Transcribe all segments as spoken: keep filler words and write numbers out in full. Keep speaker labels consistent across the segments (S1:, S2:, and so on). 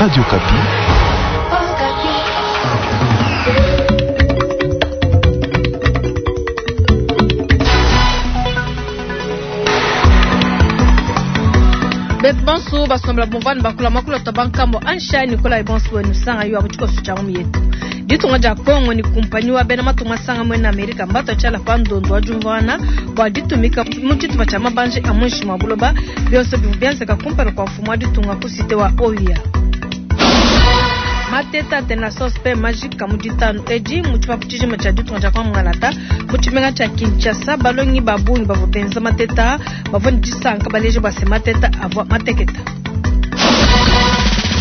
S1: Radio Okapi.
S2: Bonso basombela bomvani bakula makula to bankambo ansha Nicolas Bonso wenu sanga yo abuchiko sucha yetu. Ditunga dia Kongo ni kumpanyi wa bena matunga sanga mwena Amerika mbato chala pandondo wa jumvana bwa ditumika mu tshitupa tshia mabanje a muinshi mua buloba bionso bivua bienzeka kumpala kua mfumu wa ditunga ku site wa Oya. Mateta tena sospe majika mu ditanu edi mu tshipapu tshijima tshia ditunga dia Kongo Ngalata mu tshimenga tshia Kinshasa balongi ba bungi bavua benza mateta bavua ne disanka baleje bua se mateta avua mateketa.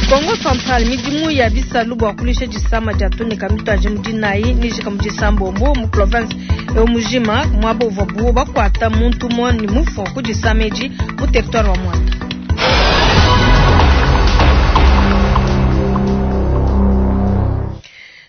S2: Kongo Central midimu ya bisalu bua kulisha disama dia tunika mituaje mu dinayi nijika mu disambombo mu province eu mujima muaba uvua buo bakuata muntu umue ne mufua ku disama edi mu territoire wa Mwanda.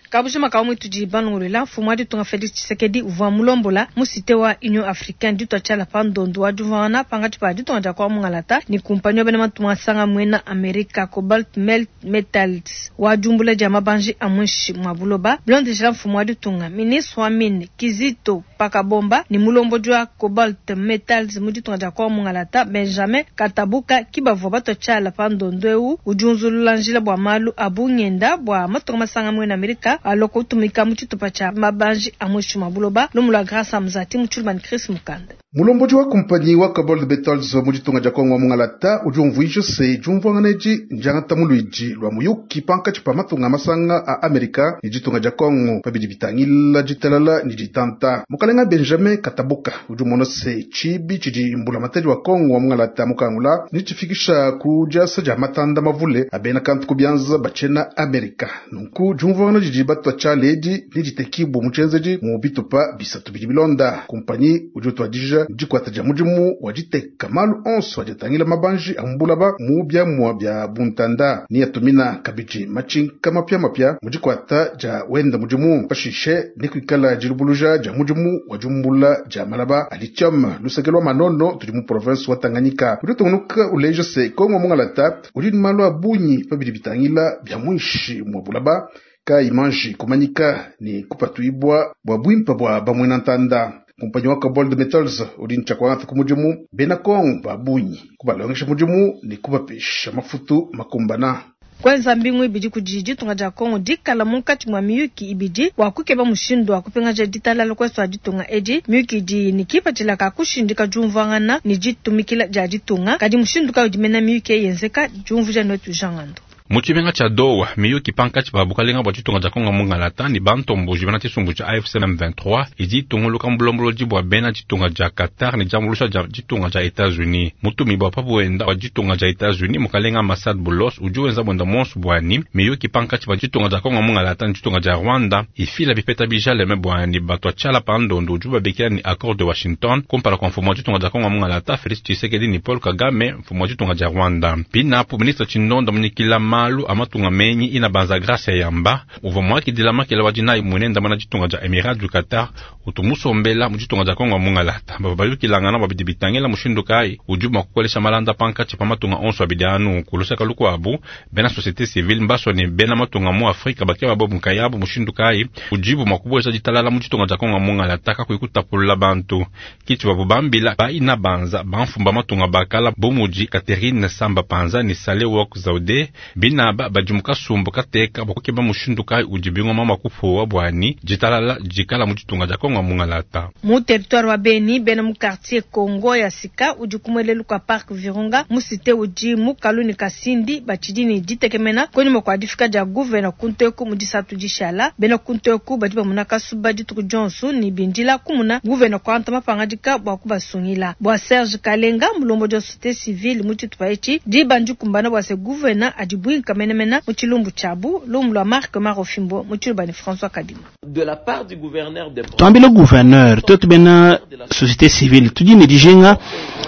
S2: Kabujima ka mwitu di banungulela mfumu wa ditunga Felix Tshisekedi uvua mulombola mu cité wa Union Africaine ditua tshiala pa ndondo wa diumvuangana pangatshi pa ditunga dia Kongo Ngalata ni kumpanyi wa bena matunga asanga mwena Amerika Cobalt Metals wa diumbula dia mabanji a muinshi mua buloba bilondeshela mfumu wa ditunga ministre wa mine Kizito Pakabomba ni mulombodi wa Cobalt Metals mu ditunga dia Kongo Ngalata Benjamin Katabuka kibavua batua tshiala pa ndondo eu udi unzulula njila bua malu a bungenda bua matunga masanga mwena Amerika aloko utumika mu tshitupa tshia mabanji a muinshi mua buloba lumu lua Grâce Amzati mu tshilumani Chris Mukanda.
S3: Mulombodi wa kumpanyi wa Cobalt Metals mu ditunga dia Kongo Mungalata udi umvuija se diumvuangana edi ndiangata mu luidi lua muyuki pankatshi pa matunga masanga a Amerika ne ditunga dia Kongo pabidi bitangila ditalala ne ditanta. Mukalenga Benjamin Katabuka udi umona se tshibi tshidi mbulamatadi wa Kongo wa Mungalata mukangula ne tshifikisha ku diasa dia matanda mavule a bena kantu ku bianza batshena Amerika. Nunku diumvuangana didi batua tshiala edi ne ditekibua mu tshienzedi mu bitupa bisatu bidi bilonda. Kumpanyi udi utuadija dikwata dia mudimu wa diteka malu onso adiatangila mabanji a mbulaba mu biamua bia buntanda ni atumina kabidi matshinka mapiamapia mu dikwata dia wenda mudimu pashishe ni kuikala dilubuluja dia mudimu wa diumbula dia malaba a lithium luseke lwa manono tudi mu province wa Tanganyika. Udi utungunuka uleja se Kongo Mungalata udi ne malu a bungi pabidi bitangila bia muinshi mua bulaba ka imanji kumanyika ni kupatuibwa bua bwimpa bua bamwena ntanda. Kumpanyi wa Cobalt Metals udi ntshakwangata ku mudimu bena Kongo ba bungi kubalongesha mudimu ne kubapesha mafutu makumbana.
S2: Kwenza mbingu ibidi kudi ditunga dia Kongo dikala munkatshi mua miyuki ibidi bua kukeba mushindu wa kupingaja ditalala kwesu a ditunga edi. Miyuki idi ne kipatshila ka kushindika diumvuangana ne ditumikila dia ditunga kadi mushindu kayi udi mena miyuki yenzeka diumvuija netu Jean Ngando.
S4: Mu tshimenga tshia Doha miyuki pankatshi pa bukalenga bua ditunga dia Kongo Mungalata ne bantomboji bena tshisumbu tshia A F C M vingt-trois idi itunguluka mu bulongolodi bua bena ditunga dia Qatar ne diambuluisha dia ditunga dia Etats-Unis. Mutumi bua pabuenda wa ditunga dia Etats-Unis mukalenga Massad Boulos udi wenza buenda monso buani miyuki pankatshi pa ditunga dia Kongo Mungalata ne ditunga dia Rwanda ifila bipeta bijaleme buani batua tshiala pa ndondo udi babikila ni accord de Washington kumpala kua mfumu wa ditunga dia Kongo Mungalata Felix Tshisekedi ni Paul Kagame mfumu wa ditunga dia Rwanda. Pinapo ministre Tshindonda munyikila malu amatunga menyi ina banza Grace Yamba uvua mwakidila makela wa dinayi munenda mana ditunga dia Emirats du Qatar utumusombela mu ditunga dia Kongo Mungalata bava bayukilangana babidi bitangela mushindu kayi udi mua kukolesha malanda pankatshi pa matunga onso abidi anu kulusaka lukuabu bena société civile mbaso ne bena matunga mu Afrika bakeba bobu nkayabu mushindu kayi udibu mua kubueja ditalala mu ditunga dia Kongo Mungalata kakuyi kutapulula bantu kiti babu bambila ba ina banza bamfumba matunga bakala bomudi Catherine Samba Panza ni Sale Wok Zaude binaba badi mukasumbu kateka bakukeba mushindu kayi udi bingoma makufuwa bwani ditalala dikala mu ditunga dia Kongo Mungalata.
S2: Mu territoire wa Beni bena mu quartier Kongo ya Sika udi kumwelelu kwa parc Virunga mu cité udi mu Kaluni Kasindi batshidi ne ditekemena konyima kua difika dia gouverneur kunteku mu disatu dishala bena kunteku badi bamuna kasuba dituku Johnson ni bindila kumuna gouverneur kwanta mapangadika bua kubasungila bua Serge Kalenga mulombo dia société civile mu tshitupa etshi dibandi kumbana bua se gouverneur adibwinka kamenemena mu tshilumbu tshiabu lumu lua Marc Marofimbo mu tshilubani François Kadima.
S5: De la part du gouverneur de
S6: Twambile gouverneur tuetu bena société civile tudi ne dijenga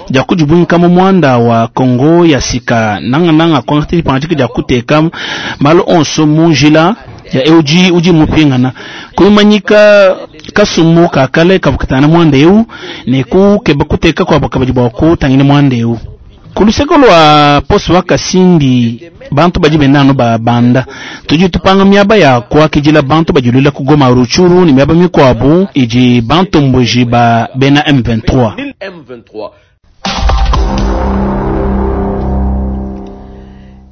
S6: dia kudibwinka mu mwanda wa Kongo ya Sika nanga nanga kwangati pangadika dia kuteka malu onso mu njila ya euji uji mupingana kuimanyika kasumu kakale kavukatana mwanda eu ne kukeba kuteka kwa bakabadi bwa kutangina mwanda eu. Ku luseke lua poste wa Kasindi bantu badi benda ba banda tudi tupanga miaba ya kuakidila bantu badilwila ku Goma Rutshuru ne miaba mikuabu idi bantomboji ba bena M vingt-trois.
S5: M vingt-trois.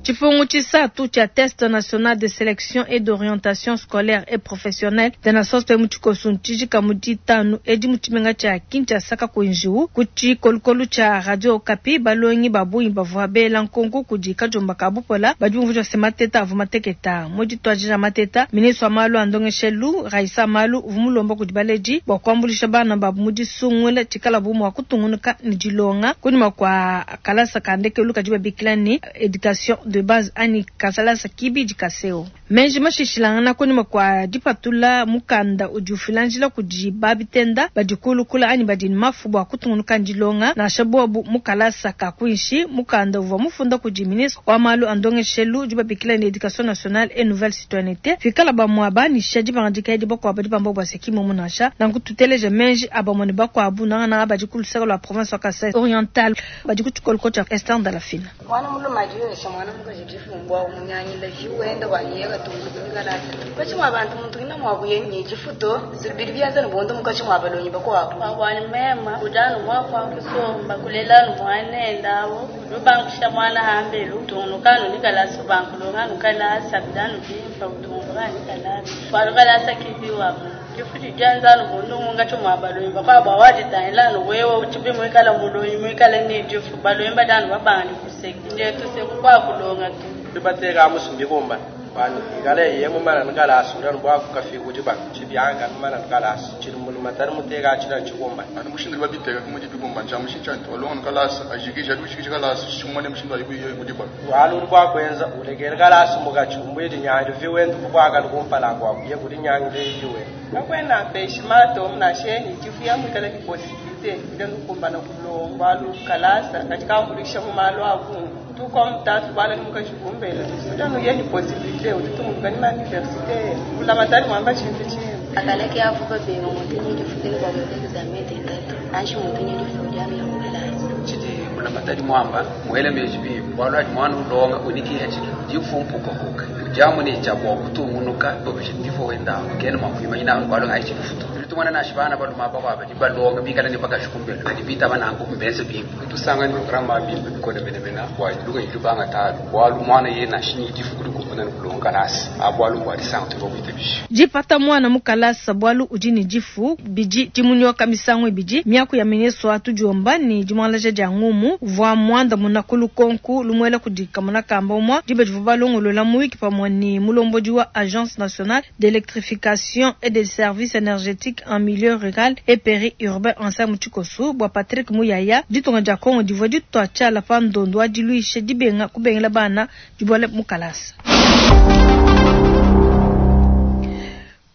S2: Tshipungu tshisatu tshia test national de sélection et d'orientation scolaire et professionnelle tenasos pe mu tshikoso ntshijika mu ditanu edi mu tshimenga tshia Kinshasa kakuenjiwu ku tshikolokolo tshia Radio Okapi balongi ba bungi bavua bela nkonko kudi kajomba ka bupola badi bumvuija se mateta avua mateketa mu dituadija mateta ministre wa malu a ndongeshelu Raissa Malu uvua mulomba kudi baledi bua kuambuluisha bana babu mu disungula tshikalabu mua kutungunuka ne dilonga kunyima kua kalasa ka ndekelu kadi babikila ne education de base ani kasalasa kibidi kaseo menji mashishilangana kunyima kwa dipatula mukanda udi ufilanjila kudi babitenda badikulukula ani badi mafu bua kutungunuka ndilonga nansha bobu mukalasa kakuinshi mukanda uvua mufunda kudi ministre wa malu a ndongeshelu udi babikila ne education nationale et nouvelle citoyenneté fikala bamua banisha dibangandika edi bakuabu dibamba bua sekimo munasha nanku tuteleje menji abamone bakuabu nangana badi kulusaka lwa province wa Kasai oriental badi kutshikoloko tsha Esther Ndalafina.
S1: Mwana muluma adiwesha mwana mukaji difumbwa umunyanyila viwenda wanyeka tungulukumikalasa pachimwa abantu muntu ina mwakuye nyechifuto zibiri byanza nibonda mukachi mwabalonyi bakwabo
S7: wabwani mema ujanu mwakwa kusomba kulelanu mwanendawo lubankusha mwana hambelu utungunukanu nikalasa ubankulonganu kalasa bidanu bimfa utungulukanu nikalasa walukalasa kibiwamu kifuti janzanu bundu mungacho mwabalonyi bakwabo awajitahilanu wewe uchibi mwikala mulonyi mwikala nijifu balonyi badanu babandi kuseki njetu sekukwakulonga tu
S8: bibateka musumbikumba bani ikale yemu mana nkala asura bwa kafika kuti ba chibyanga mana nkala asu chiri mulu matari muteka achira chikumba
S9: ani mushindiri babiteka kumwe chibikumba nja mushincha walonga nkala asu ajikisha dushikisha kala asu chimone mushindu ayibuye kuti ba
S8: walu uri kwenza ulekele kala asu mukachumbu iti nyanyo viwendu kukwaka likumpala kwako ye kuti nyanyo iwe
S10: kakwena peshi mato mnasheni chifuya mwikala ni possibilité ile nukumbana kulongwa lukalasa katika mbulisha mumalo avu tuko mtatu bala ni mukachikumbela utano yeni possibilité utitunguluka ni université ulamatali mwamba chintu chimwe
S1: akaleke avuka benga muntu nyidifuteni kwa muteki za mete tatu anshi muntu nyidifuja ya mukalasa
S11: chiti ulamatali mwamba mwele mejibi bwalo ati mwana ulonga unikiya chiki jifumpuka kuka jamu ni chabwa kutungunuka ndifo wenda kene mwakuima ina bwalo ngai chifuto tumwana na shibana baluma bakwa badi balonga bikala ne bakashukumbela adi bita banangu mbenze bimba tusanga ni programa bimba bikole mene mena wa luga ilubanga talu bwalu mwana ye na shini difukuli kupuna kulonga nasi abwalu bwa lisanga tubo kuitebishi
S2: jipata mwana mukalasa bwalu ujini jifu biji timunyoka misango ibiji miaku ya ministre atujomba ni jimwalaje ja ngumu vwa mwanda munakulu konku lumwela kudika munakamba umwa dibe jivubalongolola mu wiki pamwe ni mulomboji wa Agence nationale d'électrification et des services énergétiques en milieu rural et périurbain en Muchikosu bwa Patrick Muyaya ditonga ja Kongo divwa ditwa tshala pa ndondo adiluishe dibenga kubengela bana dibwale mukalasa.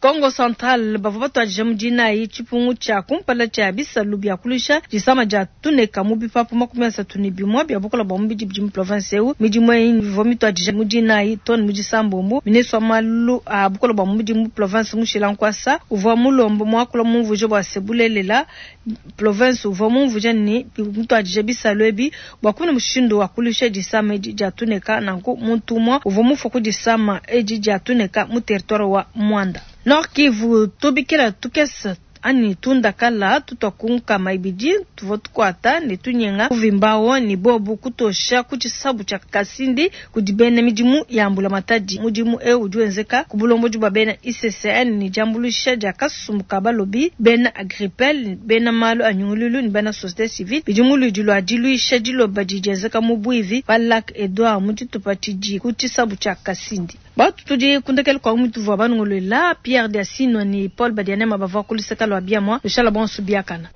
S2: Kongo Central bavua batuadija mu dinayi tshipungu tshia kumpala tshia bisalu bia kulusha disama dia tuneka mu bipapu makumi asatu ne bimue bia bukola bua mubidi bidi mu province eu midimu eyi ivua mituadija mu dinayi too ne mu disambombo ministre wa malu a bukola bua mubidi mu province Mushila Nkwasa uvua mulombo muakula mumvuija bua se bulelela province uvua mumvuija ne mutuadija bisalu ebi bua kumona mushindu wa kulusha disama edi dia tuneka nanku muntu umue uvua mufua ku disama edi dia tuneka mu territoire wa Mwanda. Nord Kivu tubikila tukesa ani tundakala tutwakunkama ibidi tuvua tukwata ne tunyenga kuvimbawo ni bobu kutosha kuchisabu cha Kasindi kudi bena midimu ya mbula matadi mudimu eu udi wenzeka ku bulomboji bwa bena I C C N ni jambulusha dia kasumbu ka balobi bena Agripel bena malu anyungululu ni bena société civile bidimu ludi lwa diluisha diloba didienzeka mu bwivi pa Lac Edouard mu tshitupa tshidi ku tshisabu tshia Kasindi. Batu tudi kundekele kwa mutu vwa banungulula Pierre Diasino ni Paul Badianema bavua kuliseka lwa biamwa lushala bonso biakana.